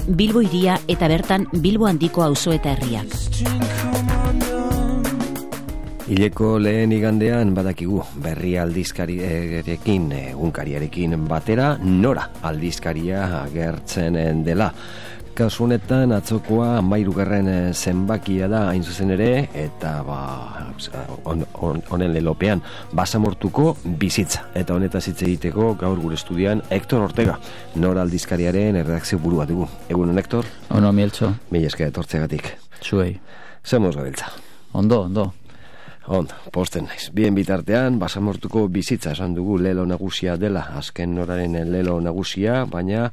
Bilbo hiria eta bertan Bilbo handiko auzo eta herriak. Hileko lehen igandean badakigu berri aldizkariarekin, egunkariarekin batera, Nora aldizkaria agertzen dela. Kasu honetan atzokoa 13. zenbakia da hain zuzen ere, eta honen lelopean basamortuko bizitza. Eta honetaz hitz egiteko gaur gure estudian Hector Ortega, Nora aldizkariaren erredakzio burua dugu. Egunon, Hector? Ono, Mieltxo. Mila esker etortzegatik. Zuei. Zemoz gabiltza? Ondo. Posten naiz. Bien bitartean, basamortuko bizitza esan dugu lelo nagusia dela, azken Noraren lelo nagusia, baina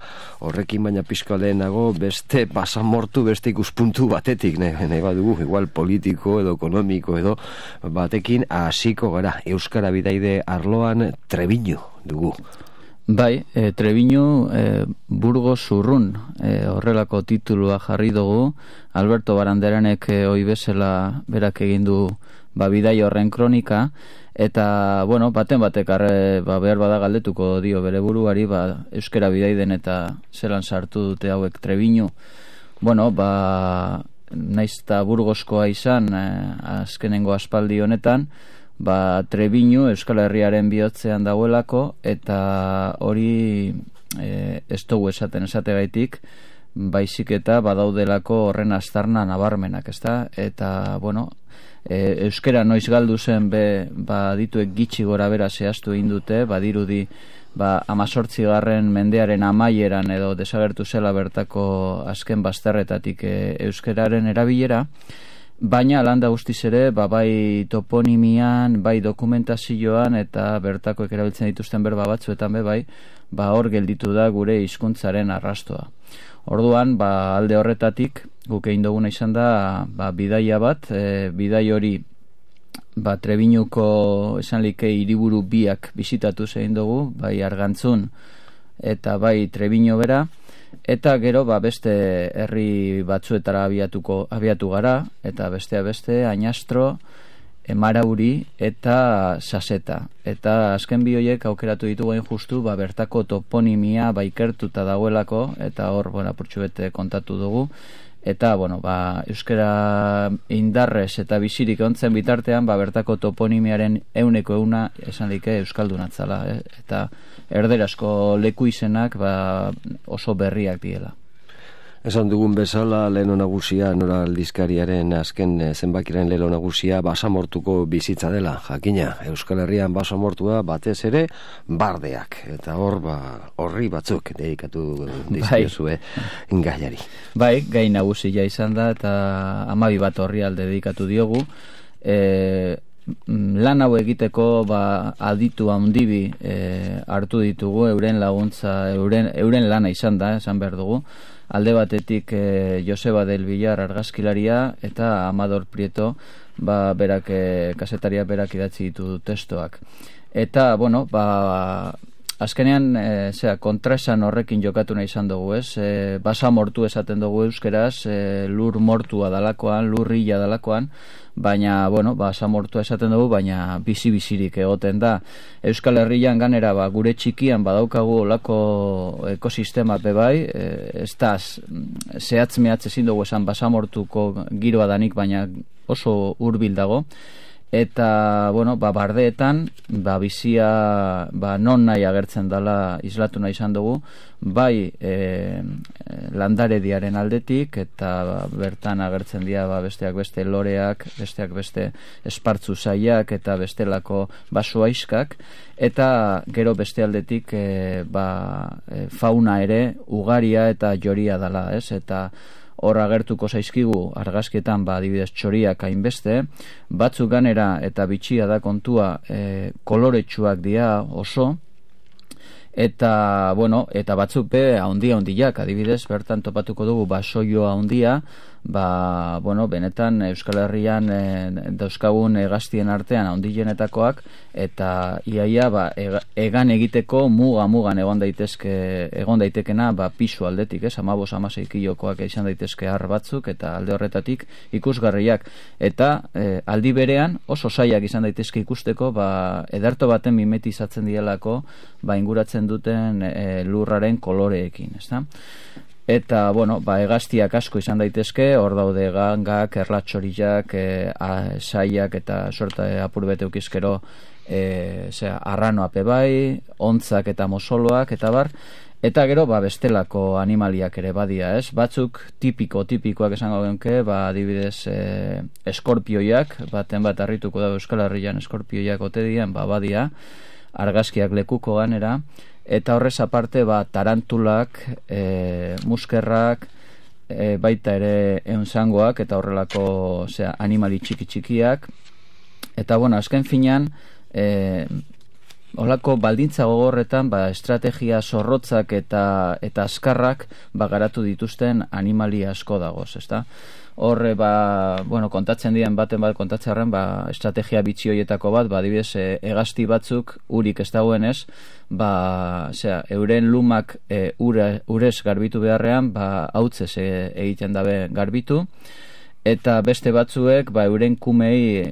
horrekin baina pixka lehenago beste basamortu, beste ikuspuntu batetik, nahi badugu, igual politiko edo ekonomiko edo batekin hasiko gara. Euskara bidaide arloan Trebiñu dugu. Bai, Trebiñu Burgos urrun horrelako titulua jarri dugu. Alberto Baranderanek hoi bezala berak egin du bidai horren kronika, eta baten batek behar bada galdetuko dio bere buruari euskara bidaiden eta zelan sartu dute hauek Trebiñu. Naiz eta Burgoskoa izan azkenengo aspaldi honetan, Trebiñu Euskal Herriaren bihotzean dagoelako, eta hori ez dugu esategaitik, baizik eta badaudelako horren aztarna nabarmenak, ezta? Eta, euskera noiz galdu zen dituek gitxi gora bera zehaztu egin dute, badirudi 18. mendearen amaieran edo desagertu zela bertako azken bazterretatik euskeraren erabilera, baina landa guztiz ere, bai toponimian, bai dokumentazioan eta bertakoek erabiltzen dituzten berba batzuetan hor gelditu da gure hizkuntzaren arrastoa. Orduan, alde horretatik, guk egin duguna izan da, bidaia bat, bidai hori, Trebiñuko esan like hiriburu biak bisitatu egin dugu, bai Argantzun eta bai Trebiñu bera, eta gero beste herri batzuetara abiatu gara, eta beste Añastro, Emarauri eta Saseta. Eta azken bi horiek aukeratu ditugu hain justu, bertako toponimia ikertuta dagoelako, eta hor, apurtxu kontatu dugu. Eta, euskara indarrez eta bizirik ontzen bitartean, bertako toponimiaren 100% esan like euskaldunatzala, eta erderazko leku izenak oso berriak diela. Esan dugun bezala, lelo nagusia, Nora aldizkariaren azken zenbakiren lelo nagusia basamortuko bizitza dela. Jakina, Euskal Herrian basamortua batez ere bardeak. Eta hor, horri batzuk dedikatu dizkiozue gaiari. Bai, gai nagusia izan da, eta 12 bat horri alde dedikatu diogu. Lan hau egiteko aditu handibi hartu ditugu, euren laguntza, euren lana izan da, esan behar dugu. Alde batetik Joseba del Villar argazkilaria eta Amador Prieto kasetaria berak idatzi ditu testoak. Eta, azkenean kontraesan horrekin jokatu nahi izan dugu, ez? Basamortu esaten dugu euskeraz, lur mortua dalakoan, lurrilla dalakoan, baina, basamortua esaten dugu, baina bizi-bizirik egoten da. Euskal Herrian ganera, gure txikian badaukagu olako ekosistema bai, ez da, zehatz-mehatz ezin dugu esan basamortuko giroa danik, baina oso hurbil dago. Eta, bardeetan, bizia, non nahi agertzen dela islatu nahi izan dugu, bai landarediaren aldetik, eta bertan agertzen dira besteak beste loreak, besteak beste espartzu zaiak, eta bestelako basoaiskak, eta gero beste aldetik fauna ere ugaria eta joria dela, ez? Eta hor agertuko zaizkigu argazkietan adibidez txoriak hainbeste, batzuk ganera eta bitxia da kontua koloretsuak dira oso, eta batzuk handiak, adibidez bertan topatuko dugu basoio handia, benetan Euskal Herrian dauzkagun hegaztien artean handienetakoak, eta iaia egan egiteko mugan egon daitekena pisu aldetik, 15-16 kilokoak izan daitezke har batzuk, eta alde horretatik ikusgarriak, eta aldi berean oso zailak izan daitezke ikusteko ederto baten mimetizatzen dielako inguratzen duten lurraren koloreekin, ezta? Eta, bueno, hegaztiak asko izan daitezke, hor daude gangak, erlatxorilak, saiak eta sorta apur bete ukizkero arranoape bai, ontzak eta mosoloak eta bar, eta gero bestelako animaliak ere badia, ez? Batzuk tipikoak esango genke, adibidez eskorpioiak, baten bat harrituko da Euskal Herrian eskorpioiak ote dian, badia, argazkiak lekuko ganera, eta horrez aparte tarantulak, muskerrak, baita ere eunzangoak eta horrelako animali txikiak, eta azken finean holako baldintza gogorretan estrategia zorrotzak eta azkarrak garatu dituzten animali asko dagoz, ezta? Horre, kontatzen dien baten kontatzearen, estrategia bitxi horietako bat, adibidez, hegazti batzuk, urik ez dagoenez, euren lumak urez garbitu beharrean, hautzez egiten dabe garbitu, eta beste batzuek, euren kumei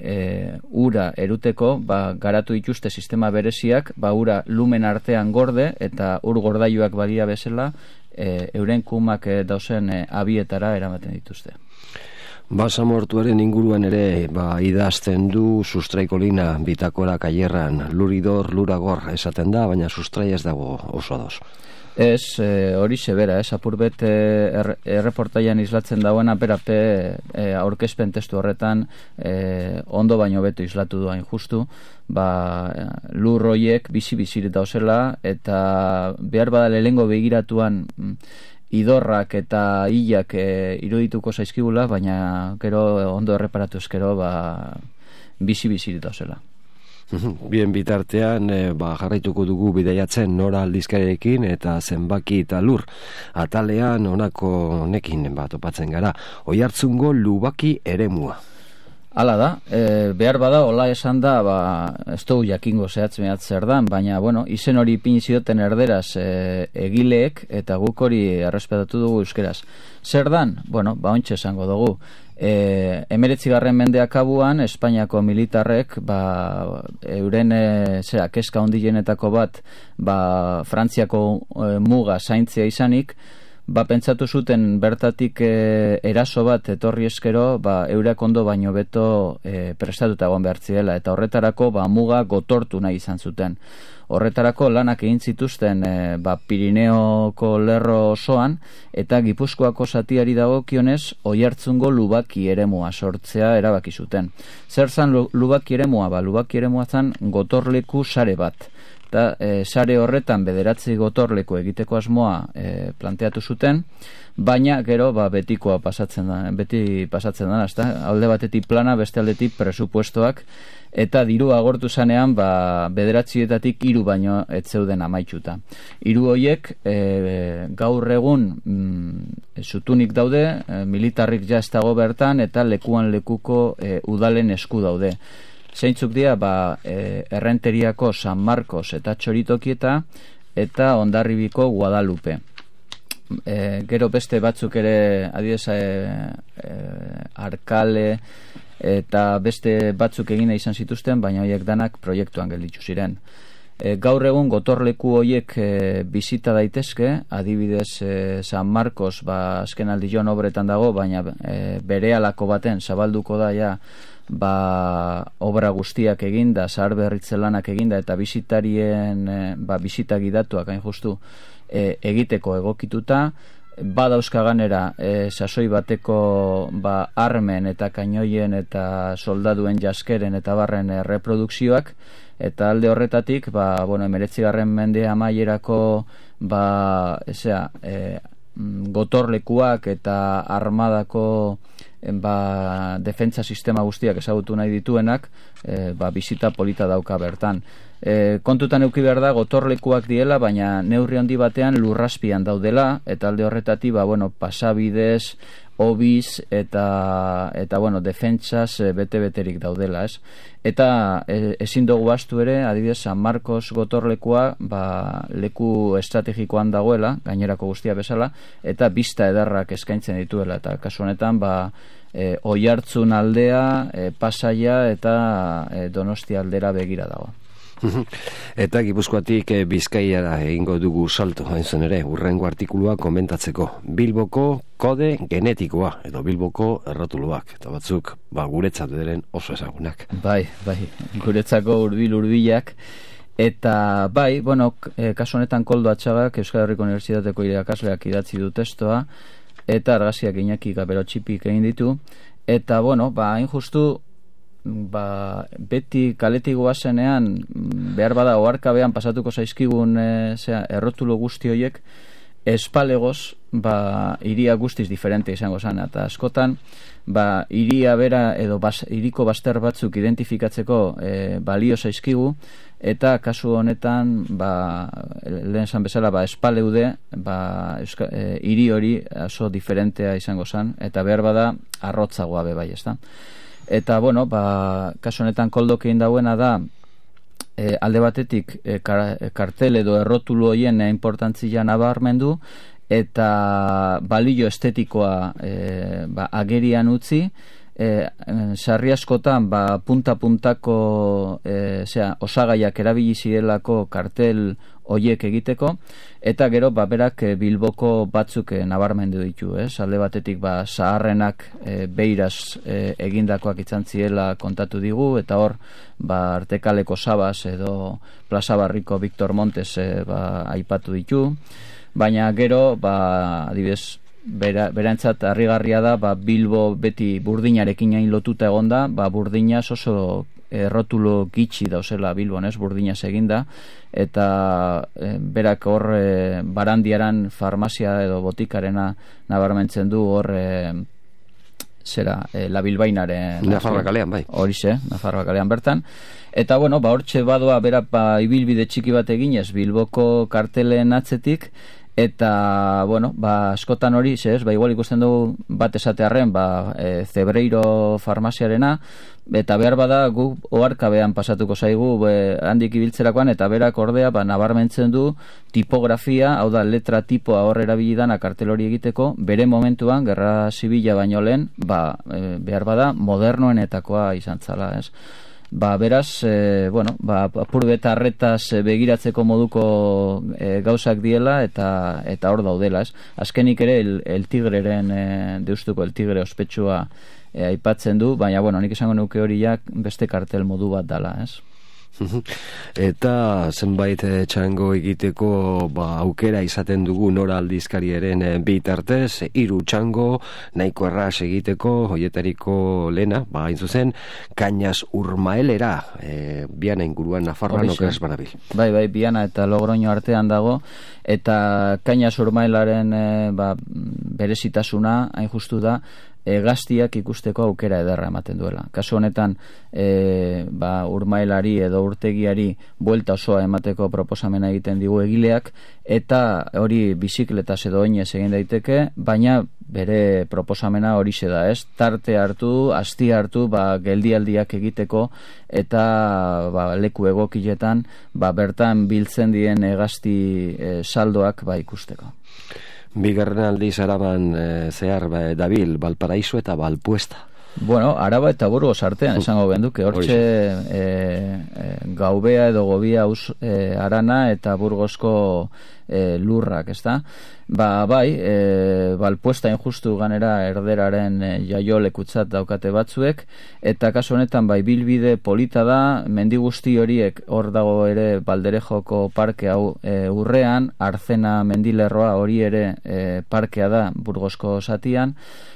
ura eruteko, garatu dituzte sistema bereziak, ura lumen artean gorde, eta ur gordailuak badia bezala, euren kumak dauzen abietara eramaten dituzte. Basamortuaren inguruan ere idazten du sustraikolina bitakora kaierran, luridor, luragor esaten da, baina sustrai ez dago oso ados. Ez, hori zebera, apurbet erreportaian islatzen dagoena berape aurkezpen testu horretan ondo baino beto islatu duain justu, lur hoiek bizi-bizirik dauzela, eta behar bada lehengo begiratuan idorrak eta hilak irudituko zaizkibula, baina gero ondo erreparatu ezkero bizi-bizirik dauzela. Bien bitartean, jarraituko dugu bidaiatzen Nora aldizkarekin eta zenbaki eta lur. Atalean honako honekin topatzen gara. Oihartzungo lubaki eremua. Hala da, behar bada, hola esan da, ez dugu jakingo zehatz mehatz zer dan, baina, izen hori ipini zioten erderaz egileek, eta guk hori errespetatu dugu euskeraz. Zer dan? Ontsa esango dugu. 19. mendeak abuan, Espainiako militarrek, euren kezka hondienetako bat, Frantziako muga zaintzea izanik, pentsatu zuten bertatik eraso bat etorri eskero, eurak ondo baino beto prestatuta egon behartziela, eta horretarako muga gotortu nahi izan zuten. Horretarako lanak egin zituzten Pirineoko lerro osoan, eta Gipuzkoako zatiari dagokionez Oihartzungo lubaki eremua sortzea erabaki zuten. Zer zan lubaki eremua? Lubaki eremua zan gotorleku sare bat. Eta sare horretan 9 gotorleku egiteko asmoa planteatu zuten, baina gero betikoa beti pasatzen da, alde batetik plana, beste aldetik presupuestoak, eta diru agortu zanean 9etatik 3 baino ez zeuden amaituta. 3 horiek gaur egun zutunik daude, militarrik ja ez dago bertan, eta lekuan lekuko udalen esku daude. Zeintzuk dira, Errenteriako San Marcos eta Txoritokieta eta Hondarribiko Guadalupe. Gero beste batzuk ere, adibidez, Arkale eta beste batzuk egina izan zituzten, baina horiek danak proiektuan gelditu ziren. Gaur egun gotorleku horiek bizita daitezke, adibidez San Marcos azken aldion obretan dago, baina berehalako baten zabalduko da ja obra guztiak eginda, zahar berritze lanak eginda, eta bisitarien bisita gidatuak hain justu egiteko egokituta, badauzka ganera sasoi bateko armen eta kainoien eta soldaduen jaskeren eta barren reprodukzioak, eta alde horretatik 19. mende amaierako gotorlekuak eta armadako defentsa sistema guztiak ezagutu nahi dituenak, bisita polita dauka bertan. Kontutan eduki behar da gotorlekuak diela, baina neurri handi batean lurrazpian daudela, eta alde horretatik pasabidez, obiz eta defentsaz bete-beterik daudela, ez? Eta ezin dugu bastu ere, adibidez San Marcos gotorlekua leku estrategikoan dagoela, gainerako guztia bezala, eta bista ederrak eskaintzen dituela, eta kasu honetan Oihartzun aldea, Pasaia eta Donostia aldera begira dago. Eta Gipuzkoatik Bizkaiara egingo dugu salto, hain zen ere, urrengo artikulua komentatzeko. Bilboko kode genetikoa, edo Bilboko errotuluak, eta batzuk guretzat diren oso ezagunak. Bai, guretzako hurbilak. Eta bai, kasu honetan Koldo Atxagak Euskal Herriko Unibertsitateko irakasleak idatzi du testoa, eta argazkiak Iñaki Gabero txipik egin ditu, eta hain justu, beti kaletik goazenean behar bada oharkabean pasatuko zaizkigun errotulo guzti horiek espalegoz iria guztiz diferente izango zen, eta askotan iria bera edo iriko baster batzuk identifikatzeko balio zaizkigu, eta kasu honetan lehen esan bezala espaleude hiri hori oso diferentea izango zen, eta behar bada arrotzagoa bai, ezta? Eta, kasu honetan Koldok egin dauena da, alde batetik kartel edo errotulu hoien importantzia nabarmendu, eta balio estetikoa agerian utzi, sarri askotan punta-puntako osagaiak erabili zirelako kartel hoiek egiteko, eta gero berak Bilboko batzuk nabarmendu ditu, alde batetik zaharrenak beiraz egindakoak izan zirela kontatu digu, eta hor Artekaleko Sabas edo Plaza Barriko Victor Montes aipatu ditu, baina gero adibidez berantzat harrigarria da Bilbo beti burdinarekin hain lotuta egonda, burdinaz oso errotulo gitxi dauzela Bilbon, burdinaz eginda, eta berak hor Barandiaran farmazia edo botikarena nabarmentzen du hor La Bilbainaren Nafarroa kalean, bai. Horixe, Nafarroa kalean bertan. Eta hortxe badoa berak ibilbide txiki bat eginez Bilboko kartelen atzetik, eta askotan hori igual ikusten dugu bat esatearren Zebreiro farmaziarena, eta behar bada gu oharkabean pasatuko zaigu handik ibiltzerakoan, eta berak ordea nabarmentzen du tipografia, hau da letra tipoa hor erabilidana kartel hori egiteko, bere momentuan Gerra Zibila baino lehen behar bada modernoenetakoa izan zala, beraz, apur beta arretaz begiratzeko moduko gauzak diela, eta hor daudela, azkenik ere el tigreren deustuko el tigre ospetsua aipatzen du, baina nik esango nuke horiak beste kartel modu bat dala, Eta zenbait txango egiteko aukera izaten dugu Nora aldizkariaren bitartez, 3 txango nahiko erraz egiteko, hoietariko lehena, hain zuzen, Kañas Urmaelera, Biana inguruan Nafarroan okeraz banabil. Bai, Biana eta Logroño artean dago, eta Kañas Urmaelaren berezitasuna, hain justu da, gaztiak ikusteko aukera ederra ematen duela. Kasu honetan urmaelari edo urtegiari buelta osoa emateko proposamena egiten digu egileak, eta hori bizikletaz edo oinez egin daiteke, baina bere proposamena horixe da, tarte hartu, asti hartu, geldialdiak egiteko, eta leku egokiletan bertan biltzen dien gazti saldoak ikusteko. Bigarren aldiz Araban zehar dabil, Valparaiso eta Valpuesta. Araba eta Burgos artean esango benduke, hortxe Gaubea edo Gobia Arana eta Burgosko lurrak, ezta? Valpuesta injustu ganera erderaren jaio lekutzat daukate batzuek, eta kasu honetan bilbide polita da, mendi guzti horiek hor dago ere Balderejoko parke hau urrean, Arzena mendilerroa hori ere parkea da Burgosko zatian,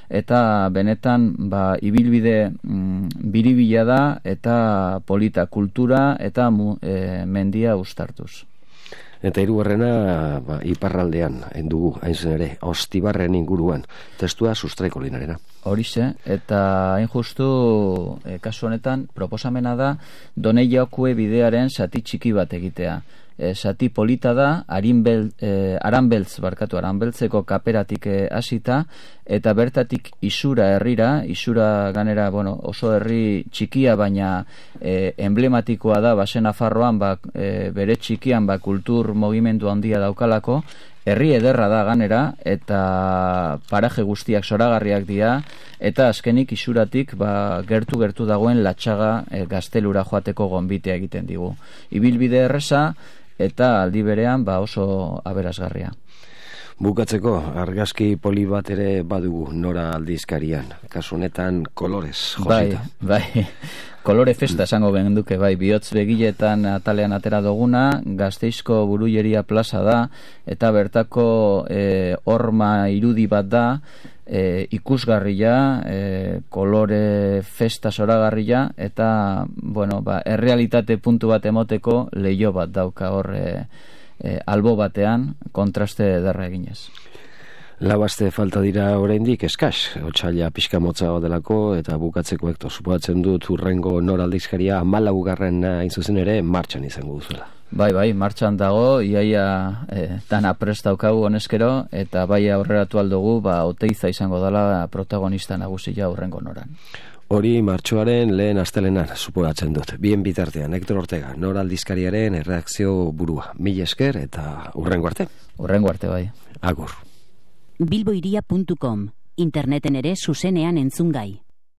eta benetan ibilbide biribila da eta polita kultura eta mendia uztartuz. Eta hirugarrena iparraldean dugu, hain zen ere, Ostibarren inguruan, testua Sustraiko Linarena. Horixe, eta hain justu kasu honetan proposamena da Doneiakue bidearen zati txiki bat egitea. Zati polita da, Aranbeltzeko kaperatik hasita, eta bertatik Isura herrira, Isura ganera oso herri txikia, baina emblematikoa da Basen Nafarroan bere txikian kultur mugimendu handia daukalako, Herri ederra da ganera, eta paraje guztiak zoragarriak dira, eta azkenik isuratik gertu dagoen Latxaga gaztelura joateko gonbitea egiten digu. Ibilbide erreza, eta aldi berean oso aberasgarria. Bukatzeko, argazki poli bat ere badugu Nora aldizkarian, kasu honetan kolorez josita. Bai. Kolore festa esango genduke, bihotz begiletan atalean atera duguna, Gasteizko Burujeria plaza da, eta bertako horma irudi bat da, ikusgarria, kolore festa zoragarria, eta, errealitate puntu bat emoteko leiho bat dauka hor albo batean, kontraste ederra eginez. Labazte falta dira oraindik eskas, otsaila pixka motza delako, eta bukatzeko Hektor, suposatzen dut hurrengo Nora aldizkaria 14. hain zuzen ere martxan izango duzuela. Bai, martxan dago, iaia dana prest daukagu honezkero, eta bai aurreratu aldugu, Oteiza izango dela protagonista nagusia hurrengo Noran. Hori martxoaren lehen astelenan suposatzen dut. Bien bitartean, Hektor Ortega, Nora aldizkariaren erreakzio burua. Mila esker eta hurrengo arte. Hurrengo arte, bai. Agur. bilboiria.com, interneten ere zuzenean entzungai.